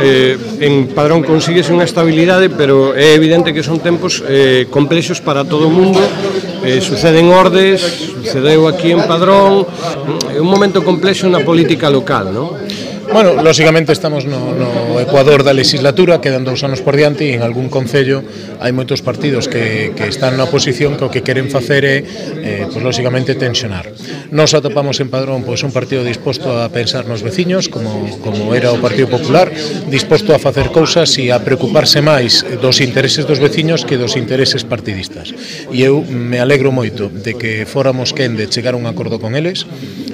en Padrón consíguese unha estabilidade, pero é evidente que son tempos complexos para todo o mundo. Suceden Ordes, sucedeu aquí en Padrón, é un momento complexo na política local, non? Bueno, lógicamente estamos no ecuador da legislatura, quedan 2 anos por diante e en algún concello hai moitos partidos que están na oposición que o que queren facer é, pues, lógicamente, tensionar. Nos atopamos en Padrón pois, un partido disposto a pensar nos veciños, como era o Partido Popular, disposto a facer cousas e a preocuparse máis dos intereses dos veciños que dos intereses partidistas. E eu me alegro moito de que fóramos quen de chegar a un acordo con eles,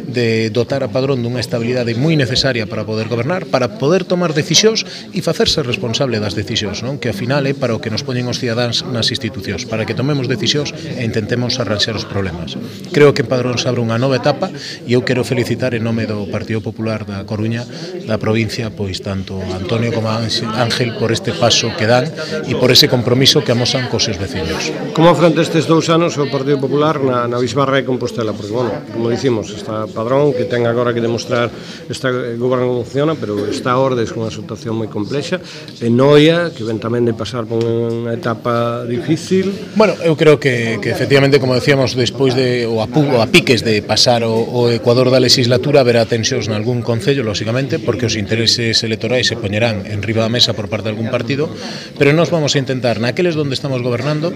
de dotar a Padrón dunha estabilidade moi necesaria para poder gobernar, para poder tomar decisións e facerse responsable das decisións, non? Que ao final é para o que nos poñen os cidadáns nas institucións, para que tomemos decisións e intentemos arranxar os problemas. Creo que en Padrón se abre unha nova etapa e eu quero felicitar en nome do Partido Popular da Coruña, da provincia, pois tanto Antonio como Ángel por este paso que dan e por ese compromiso que amosan cos seus veciños. Como afronta estes 2 anos o Partido Popular na Bisbarra de Compostela? Porque, bueno, como dicimos, está Padrón, que ten agora que demostrar esta goberno como funciona, pero está Ordes con unha situación moi complexa, e Noia, que ven tamén de pasar por unha etapa difícil. Bueno, eu creo que efectivamente, como decíamos, despois de o a piques de pasar o ecuador da legislatura, haberá tensións nalgún concello, lógicamente, porque os intereses electorais se poñerán en riba da mesa por parte de algún partido, pero nós vamos a intentar, naqueles onde estamos gobernando,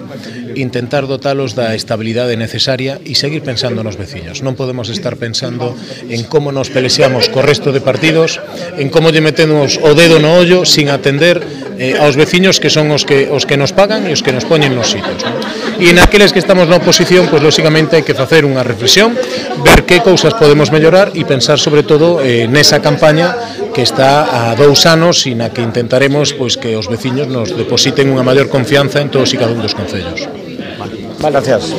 intentar dotalos da estabilidade necesaria e seguir pensando nos veciños. Non podemos estar pensando en como nos pelexeamos co resto de partidos, en como lle metemos o dedo no ollo sin atender aos veciños que son os que nos pagan e os que nos poñen nos sitios, non? E naqueles que estamos na oposición, pois lógicamente hai que facer unha reflexión, ver que cousas podemos mellorar e pensar sobre todo nesa campaña que está a 2 anos e na que intentaremos pois que os veciños nos depositen unha maior confianza en todos e cada un dos concellos. Vale, gracias.